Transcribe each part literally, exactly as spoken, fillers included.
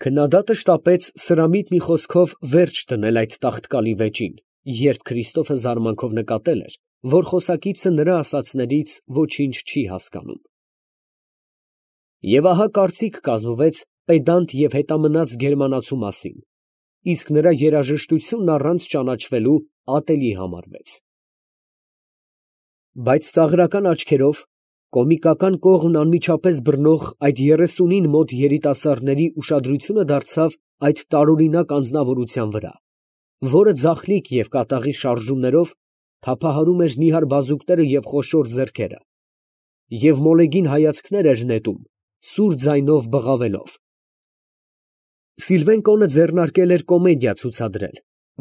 Քննադատը շտապեց սրամիտ մի խոսքով վերջ դնել այդ տաղտկալի վեճին, երբ Քրիստոֆը զարմանքով նկատել էր, որ խոսակիցը նրա ասածներից ոչինչ չի հասկանում։ Եվ ահա կարծիք կազմվեց պեդանտ և հետամնաց գերմանացու մասին, իսկ նրա երաժշտությունն առանց ճանաչվելու ատելի համարվեց։ Բայց ծաղրական աչքերով, կոմիկական կողմն անմիջապես բռնող այդ երեսունին մոտ երիտասարդների ուշադրությունը դարձավ այդ տարօրինակ անձնավորության վրա, որը ձախլիկ և կատաղի շարժումներով թափահարում էր նիհար բազուկները և խոշոր ձեռքերը, և մոլեգին հայացքներ էր նետում, սուր ձայնով բղավելով։ Սիլվեն կոնը ձեռնարկել էր կոմեդիա ցուցադրել,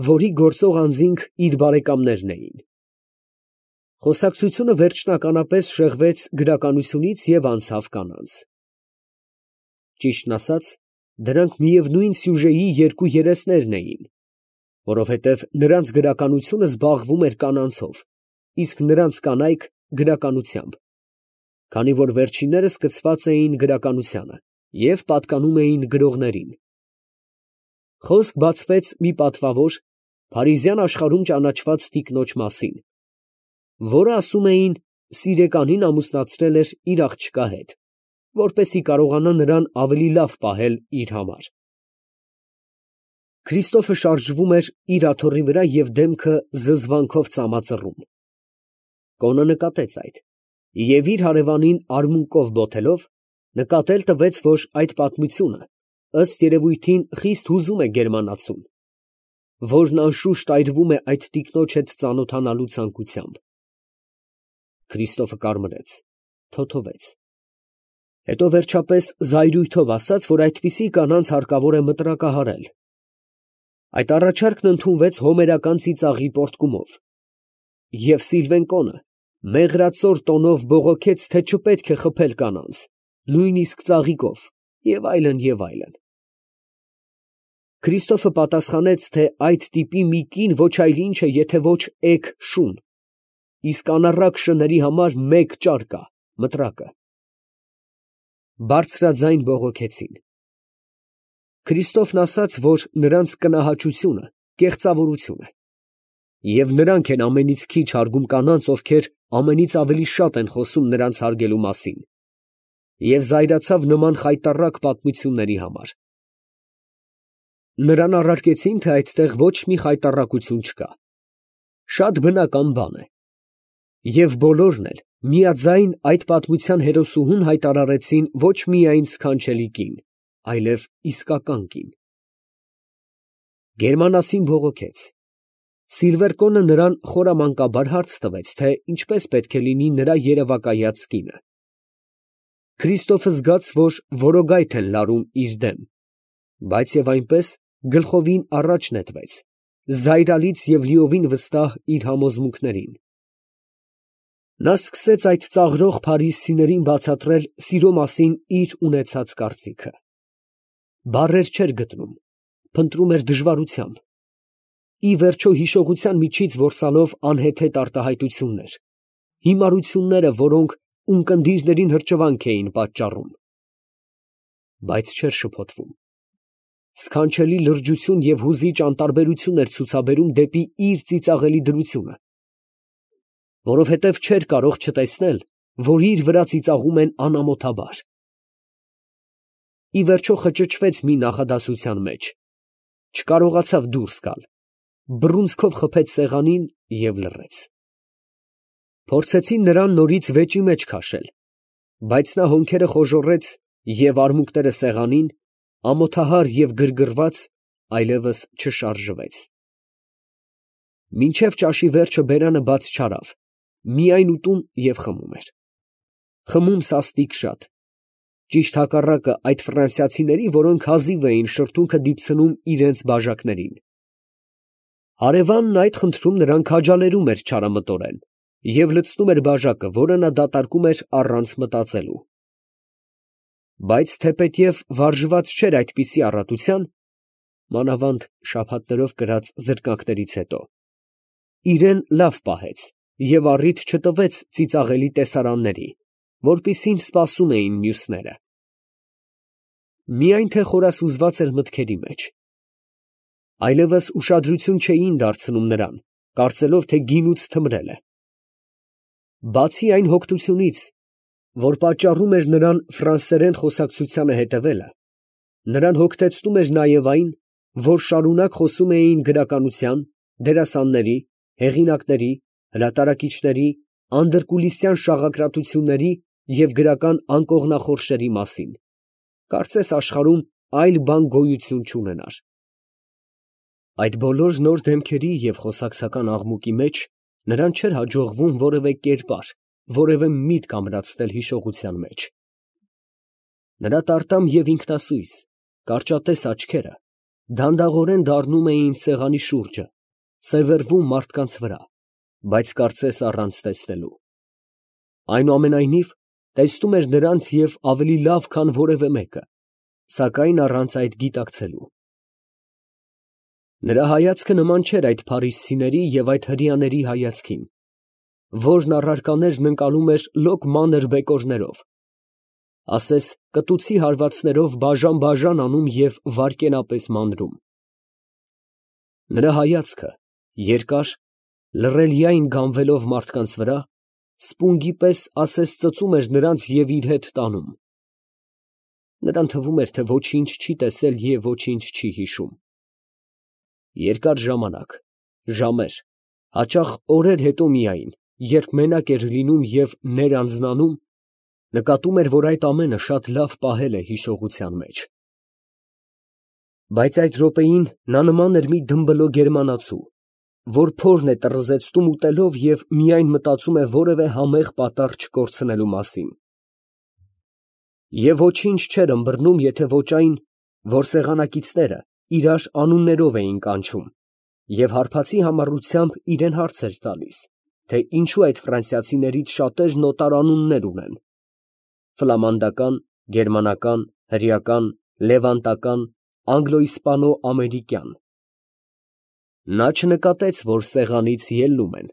որի գործող անձինք իր բարեկամներն էին։ Խոսակցությունը վերջնականապես շեղվեց գրականությունից և անցավ կանանց։ Ճիշտն ասած, դրանք միևնույն սյուժեի երկու երեսներն էին, որովհետև նրանց գրականությունը զբաղվում էր կանանցով, իսկ նրանց կանայք գրականությամբ, քանի որ վերջինները սկսված էին գրականությանը և պատկանում էին գրողներին։ Խոսք բացվեց մի պատվավոր, փարիզյան աշխարհում ճանաչված տիկնոջ մասին, որը, ասում էին, սիրեկանին ամուսնացրել էր իր աղջկա հետ, որպեսզի կարողանա նրան ավելի լավ պահել իր համար։ Քրիստոֆը շարժվում էր իր աթոռի վրա և դեմքը զզվանքով ծամածռում։ Կոնը նկատեց այդ և, իր հարևանին արմունկով բոթելով, նկատել տվեց, որ այդ պատմությունը, ըստ երևույթին, խիստ հուզում է գերմանացուն, որն անշուշտ այրվում է այդ տիկնոջ հետ ծանոթանալու ցանկությամբ։ Քրիստոֆը կարմրեց, թոթովեց, հետո վերջապես զայրույթով ասաց, որ այդպիսի կանանց հարկավոր է մտրակահարել։ Այդ առաջարկն ընդունվեց հոմերական ծիծաղի պոռթկումով, և Սիլվեն կոնը մեղրածոր տոնով բողոքեց, թե չպետք է խփել կանանց, նույնիսկ ծաղիկով, և այլն, և այլն։ Քրիստոֆը պատասխանեց, թե այդ տիպի մի կին ոչ այլ ինչ է, եթե ոչ էգ շուն, իսկ անառակ շների համար մեկ ճար կա՝ մտրակը։ Բարձրաձայն բողոքեցին։ Քրիստոֆն ասաց, որ նրանց կնահաճությունը կեղծավորություն է, և նրանք են ամենից քիչ հարգում կանանց, ովքեր ամենից ավելի շատ են խոսում նրանց հարգելու մասին, և զայրացավ նման խայտառակ պատմությունների համար։ Նրան առարկեցին, թե այդտեղ ոչ մի խայտառակություն չկա, շատ բնական բան է, և բոլորն էլ միաձայն այդ պատմության հերոսուհուն հայտարարեցին ոչ միայն սքանչելի կին, այլև իսկական կին։ Գերմանացին բողոքեց։ Սիլվեր կոնը նրան խորամանկաբար հարց տվեց, թե ինչպես պետք է լինի նրա երևակայած կինը։ Քրիստոֆը զգաց, որ որոգայթ են լարում իր դեմ, բայց և այնպես գլխովին առաջ նետվեց, զայրալից և լիովին վստահ իր համոզմունքներին։ Նա սկսեց այդ ծաղրող փարիզցիներին բացատրել սիրո մասին իր ունեցած կարծիքը։ Բառեր չէր գտնում, փնտրում էր դժվարությամբ, ի վերջո հիշողության միջից որսալով անհեթեթ արտահայտություններ, հիմարությունները, որոնք ունկնդիրներին հրճվանք էին պատճառում, բայց չէր շփոթվում։ Սքանչելի լրջություն և հուզիչ անտարբերություն էր ցուցաբերում դեպի իր ծիծաղելի դրությունը, որովհետև չէր կարող չտեսնել, որ իր վրա ծիծաղում են անամոթաբար։ Ի վերջո խճճվեց մի նախադասության մեջ, չկարողացավ դուրս գալ, բռունցքով խփեց սեղանին և լռեց։ Փորձեցին նրան նորից վեճի մեջ քաշել, բայց նա հոնքերը խոժոռեց և արմունկները սեղանին, ամոթահար և գրգռված, այլևս չշարժվեց։ Մինչև ճաշի վերջը բերանը բաց չարավ, միայն ուտում և խմում էր։ Խմում սաստիկ շատ, ճիշտ հակառակը այդ ֆրանսիացիների, որոնք հազիվ էին շրթունքը դիպցնում իրանց բաժակներին։ Հարևանն այդ խնդրում նրան քաջալերում էր չարամտորեն և լցնում էր բաժակը, որը նա դատարկում էր առանց մտածելու։ Բայց թեպետև վարժված չէր այդպիսի առատության, մանավանդ շաբաթներով կրած զրկանքներից հետո, իրան լավ պահեց և առիթ չտվեց ծիծաղելի տեսարանների, որպիսին սպասում էին մյուսները։ Միայն թե խորասուզված էր մտքերի մեջ։ Այլևս ուշադրություն չէին դարձնում նրան, կարծելով, թե գինուց թմրել է։ Բացի այն հոգնությունից, որ պատճառում էր նրան ֆրանսերեն խոսակցությանը հետևելը, նրան հոգնեցնում էր նաև այն, որ շարունակ խոսում էին գրականության, դերասանների, հեղինակների, հրատարակիչների, անդրկուլիսյան շաղակրատությունների և գրական անկողնախորշերի մասին, կարծես աշխարհում այլ բան գոյություն չունենար։ Այդ բոլոր նոր դեմքերի և խոսակցական աղմուկի մեջ նրան չէր հաջողվում որևէ կերպար, որևէ միտք ամրացնել հիշողության մեջ։ Նրա տարտամ և ինքնասույզ, կարճատես աչքերը դանդաղորեն դառնում էին սեղանի շուրջը, սևեռվում մարդկանց վրա, բայց կարծես առանց տեսնելու։ Այնուամենայնիվ, տեսնում էր նրանց և ավելի լավ, քան որևէ մեկը, սակայն առանց այդ գիտակցելու։ Նրա հայացքը նման չէր այդ փարիսցիների և այդ հրեաների հայացքին, որն առարկաներն ընկալում էր լոկ մանր բեկորներով, ասես կտուցի հարվածներով բաժան֊բաժան անում և վայրկենապես մանրում։ Նրա հայացքը, երկար, լռելյայն գանվելով մարդկանց վրա, սպունգի պես ասես ծծում էր նրանց և իր հետ տանում։ Նրան թվում էր, թե ոչինչ չի տեսել և ոչինչ չի հիշում։ Երկար ժամանակ, ժամեր, հաճախ օրեր հետո միայն, երբ մենակ էր լինում և ներանձնանում, նկատում էր, որ այդ ամենը շատ լավ պահել է հիշողության մեջ։ Բայց այդ րոպեին նա նման էր մի դմբլո գերմանացու, որ փորն է տռզեցնում ուտելով և միայն մտածում է որևէ համեղ պատառ չկորցնելու մասին։ Եվ ոչինչ չէր ըմբռնում, եթե ոչ այն, որ սեղանակիցները իրար անուններով էին կանչում, և հարբածի համառությամբ իրան հարց էր տալիս, թե ինչո՞ւ այդ ֆրանսիացիներից շատերն օտարանուններ ունեն՝ ֆլամանդական, գերմանական, հրեական, լևանտական, անգլո֊իսպանո֊ամերիկյան։ Նա չնկատեց, որ սեղանից ելնում են։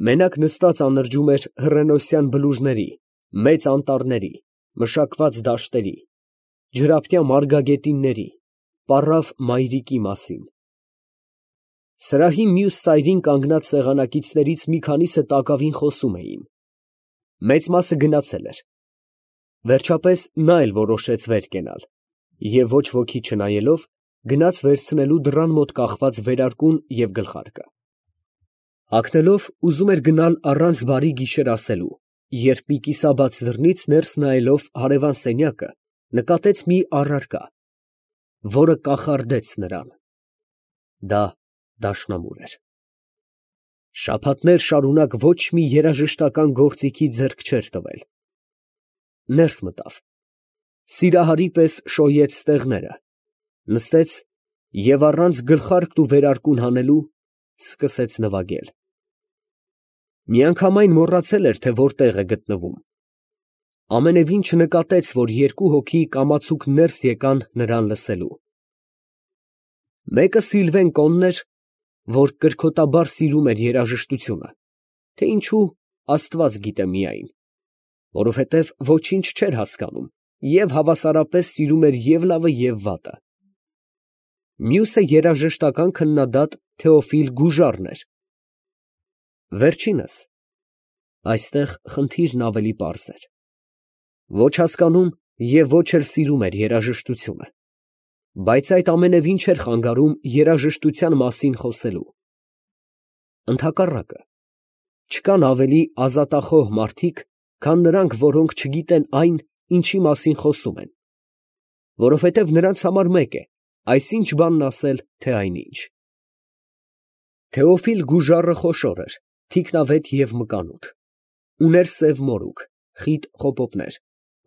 Մենակ նստած անրջում էր հռենոսյան բլուրների, մեծ անտառների, մշակված դաշտերի, ջրափնյա մարգագետինների, պառավ մայրիկի մասին։ Սրահի մյուս ծայրին կանգնած սեղանակիցներից մի քանիսը տակավին խոսում էին։ Մեծ մասը գնացել էր։ Վերջապես նա էլ որոշեց վեր կենալ և ոչ ոքի չնայելով, գնաց վերցնելու դռան մոտ կախված վերարկուն և գլխարկը։ Հագնելով ուզում էր գնալ առանց բարի գիշեր ասելու, երբ մի կիսաբաց դռնից ներս նայելով հարևան սենյակը, նկատեց մի առարկա, որը կախարդեց նրան։ Դա դաշնամուր էր։ Շաբաթներ շարունակ ոչ մի երաժշտական գործիքի ձեռք չէր տվել։ Ներս մտավ, սիրահարի պես շոյեց ստեղները, նստեց և առանց գլխարկն ու վերարկուն հանելու, սկսեց նվագել։ Միանգամայն մոռացել էր, թե որտեղ է գտնվում։ Ամենևին չնկատեց, որ երկու հոգի կամացուկ ներս եկան նրան լսելու։ Մեկը Սիլվեն Կոնն էր, որ կրքոտաբար սիրում էր երաժշտությունը, թե ինչու, աստված գիտե միայն, որովհետև ոչինչ չէր հասկանում և հավասարապես սիրում էր և լավը և վատը։ Մյուսը երաժշտական քննադատ Թեոֆիլ Գուժարն էր։ Վերջինս, այստեղ խնդիրն ավելի պարզ էր, ոչ հասկանում և ոչ էլ սիրում էր երաժշտությունը, բայց այդ ամենևին չէր խանգարում երաժշտության մասին խոսելու։ Ընդհակառակը, չկան ավելի ազատախոհ մարդիկ, քան նրանք, որոնք չգիտեն այն, ինչի մասին խոսում են, որովհետև նրանց համար մեկ է այսինչ բանն ասել, թե այնինչ։ Թեոֆիլ Գուժարը խոշոր էր, թիկնավետ և մկանուտ, ուներ սև մորուք, խիտ խոպոպներ,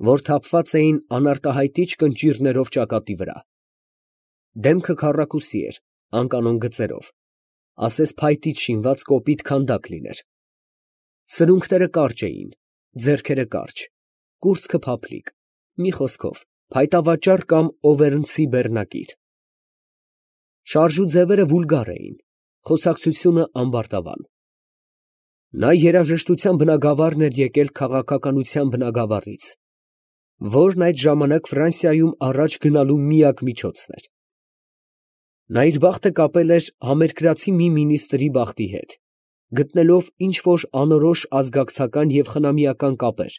որ թափված էին անարտահայտիչ կնճիռներով ճակատի վրա։ Դեմքը քառակուսի էր, անկանոն գծերով, ասես փայտից շինված կոպիտ քանդակ լիներ։ Սրունքները կարճ էին, ձեռքերը կարճ, կուրծքը փափլիկ, մի խոսքով, փայտավաճառ կամ օվերնցի բեռնակիր։ Շարժուձևերը վուլգար էին, խոսակցությունը ամբարտավան։ Նա երաժշտության բնագավառն էր եկել քաղաքականության բնագավառից։ որն այդ ժամանակ Ֆրանսիայում առաջ գնալու միակ միջոցն էր։ Նա իր բախտը կապել էր համերկրացի մի մինիստրի բախտի հետ, գտնելով ինչ֊որ անորոշ ազգակցական և խնամիական կապեր,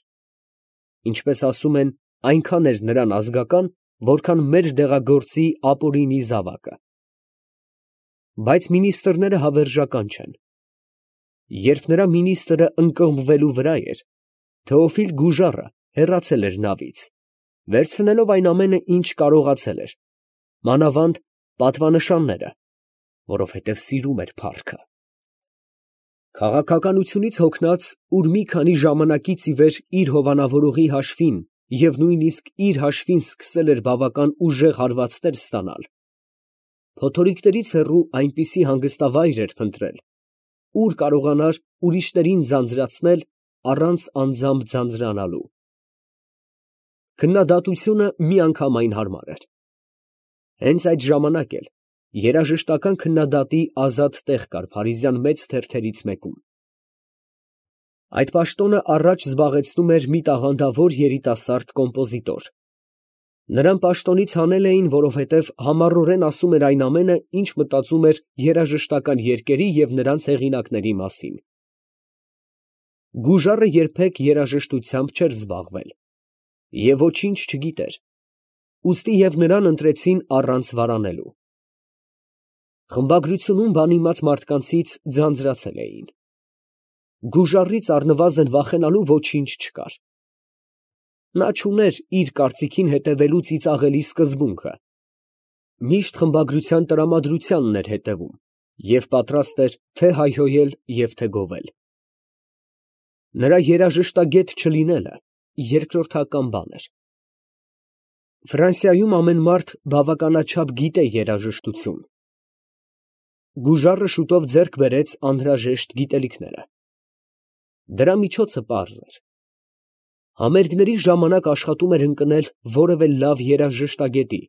ինչպես ասում են, այնքան էր նրան ազգական, որքան մեր դեղագործի ապօրինի զավակը։ Բայց մինիստրները հավերժական չեն։ Երբ նրա մինիստրը ընկղմվելու վրա էր, Թեոֆիլ Գուժարը հեռացել էր նավից, վերցնելով այն ամենը, ինչ կարողացել էր, մանավանդ պատվանշանները, որովհետև սիրում էր փառքը։ Քաղաքականությունից հոգնած, ուր մի քանի ժամանակից ի վեր իր հովանավորողի հաշվին և նույնիսկ իր հաշվին սկսել էր բավական ուժեղ հարվածներ ստանալ, փոթորիկներից հեռու այնպիսի հանգստավայր էր փնտրել, ուր կարողանար ուրիշներին ձանձրացնել առանց անձամբ ձանձրանալու։ Քննադատությունը միանգամայն հարմար էր։ Հենց այդ ժամանակ էլ երաժշտական քննադատի ազատ տեղ կար փարիզյան մեծ թերթերից մեկում։ Այդ պաշտոնը առաջ զբաղեցնում էր մի տաղանդավոր երիտասարդ կոմպոզիտոր։ Նրան պաշտոնից հանել էին, որովհետև համառորեն ասում էր այն ամենը, ինչ մտածում էր երաժշտական երկերի և նրանց հեղինակների մասին։ Գուժարը երբեք երաժշտությամբ չէր զբաղվել և ոչինչ չգիտեր, ուստի և նրան ընտրեցին առանց վարանելու։ Խմբագրությունում բանիմաց մարդկանցից ձանձրացել էին։ Գուժարից առնվազն վախենալու ոչինչ չկար։ Նա չուներ իր կարծիքին հետևելու ծիծաղելի սկզբունքը, միշտ խմբագրության տրամադրությանն էր հետևում և պատրաստ էր թե հայհոյել և թե գովել։ Նրա երաժշտագետ չլինելը երկրորդական բան էր։ Ֆրանսիայում ամեն մարդ բավականաչափ գիտե երաժշտություն։ Գուժարը շուտով ձեռք բերեց անհրաժեշտ գիտելիքները։ Դրա միջոցը պարզ էր։ Համերգների ժամանակ աշխատում էր ընկնել որևէ լավ երաժշտագետի,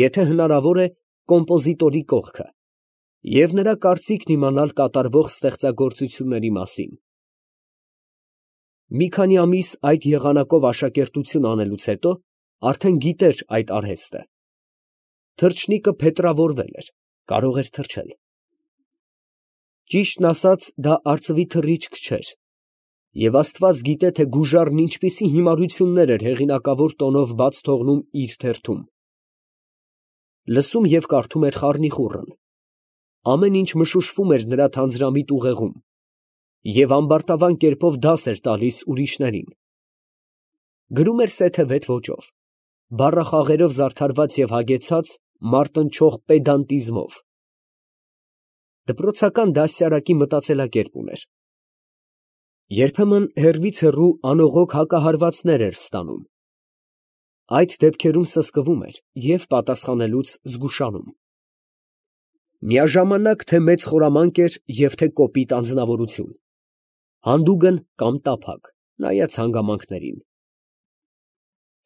եթե հնարավոր է կոմպոզիտորի կողքը, և նրա կարծիքն իմանալ կատարվող ստեղծագործությունների մասին։ Մի քանի ամիս այդ եղանակով աշակերտություն անելուց հետո արդեն գիտեր այդ արհեստը։ Թռչնիկը փետրավորվել էր, կարող էր թռչել։ Ճիշտն ասած, դա արծվի թռիչք չէր, և աստված գիտե, թե Գուժարն ինչպիսի հիմարություններ էր հեղինակավոր տոնով բաց թողնում իր թերթում։ Լսում և կարդում էր խառնիխուռն, ամեն ինչ մշուշվում էր նրա թանձրամիտ ուղեղում, և ամբարտավան կերպով դաս էր տալիս ուրիշներին։ Գրում էր սեթևետ ոճով, բառախաղերով զարդարված և հագեցած մարտնչող պեդանտիզմով։ Դպրոցական դաստիարակի մտածելակերպ ուներ։ Երբեմն հեռվից հեռու անողոք հակահարվածներ էր ստանում։ Այդ դեպքերում սսկվում էր և պատասխանելուց զգուշանում։ Միաժամանակ թե մեծ խորամանկ էր և թե կոպիտ անձնավորություն, հանդուգն կամ տափակ, նայած հանգամանքներին։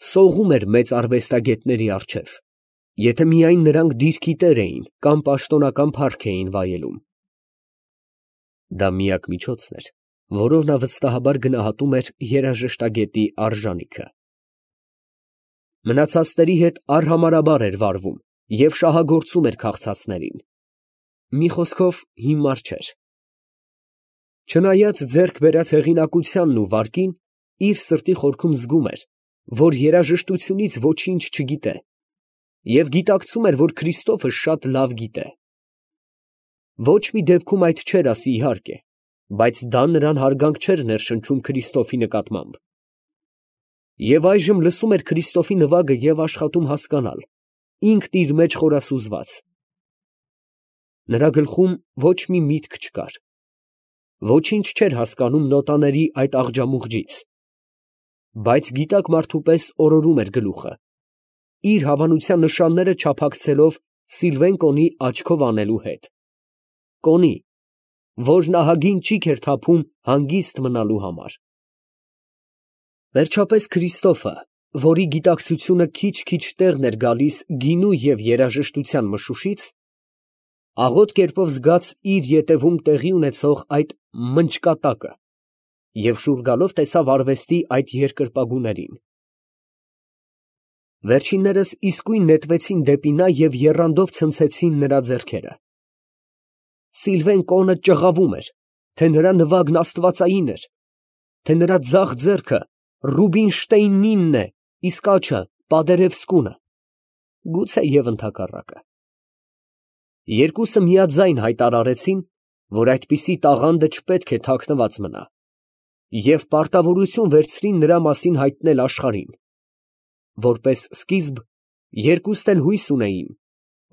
Սողում էր մեծ արվեստագետների առջև, եթե միայն նրանք դիրքի տեր էին կամ պաշտոնական փառք էին վայելում։ Դա միակ միջոցն էր, որով նա վստահաբար գնահատում էր երաժշտագետի արժանիքը։ Մնացածների հետ արհամարհաբար էր վարվում և շահագործում էր քաղցածներին։ Մի խոսքով, հիմար չէր։ Չնայած ձեռք բերած հեղինակությանն ու վարկին, իր սրտի խորքում զգում էր, որ երաժշտությունից ոչինչ չգիտե, և գիտակցում էր, որ Քրիստոֆը շատ լավ գիտե։ Ոչ մի դեպքում այդ չէր ասի, իհարկե, բայց դա նրան հարգանք չէր ներշնչում Քրիստոֆի նկատմամբ։ Եվ այժմ լսում էր Քրիստոֆի նվագը և աշխատում հասկանալ, ինքն իր մեջ խորասուզված։ Նրա գլխում ոչ մի միտք չկար։ Ոչինչ չէր հասկանում նոտաների այդ աղջամուղջից, բայց գիտակ մարդու պես օրորում էր գլուխը, իր հավանության նշանները չափակցելով Սիլվեն Կոնի աչքով անելու հետ, Կոնի, որն ահագին ճիգ էր թափում հանգիստ մնալու համար։ Վերջապես Քրիստոֆը, որի գիտակցությունը քիչ֊քիչ տեղն էր գալիս գինու և երաժշտության մշուշից, աղոտ կերպով զգաց իր ետևում տեղի ունեցող այդ մնճկատակը և շուռ գալով տեսավ արվեստի այդ երկրպագուներին։ Վերջիններս իսկույն նետվեցին դեպի նա և եռանդով ցնցեցին նրա ձեռքերը։ Սիլվեն կոնը ճղավում էր, թե նրա նվագն աստվածային էր, թե նրա ձախ ձեռքը Ռուբինշտեյնինն է, իսկ աջը Պադերևսկուն, գուցեև ընդհակառակը։ Երկուսը միաձայն հայտարարեցին, որ այդպիսի տաղանդը չպետք է թաքնված մնա, և պարտավորություն վերցրին նրա մասին հայտնել աշխարհին. որպես սկիզբ, երկուստ էլ հույս ունեին,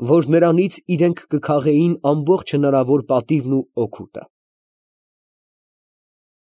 որ նրանից իրենք կքաղեին ամբողջ հնարավոր պատիվն ու օգուտը։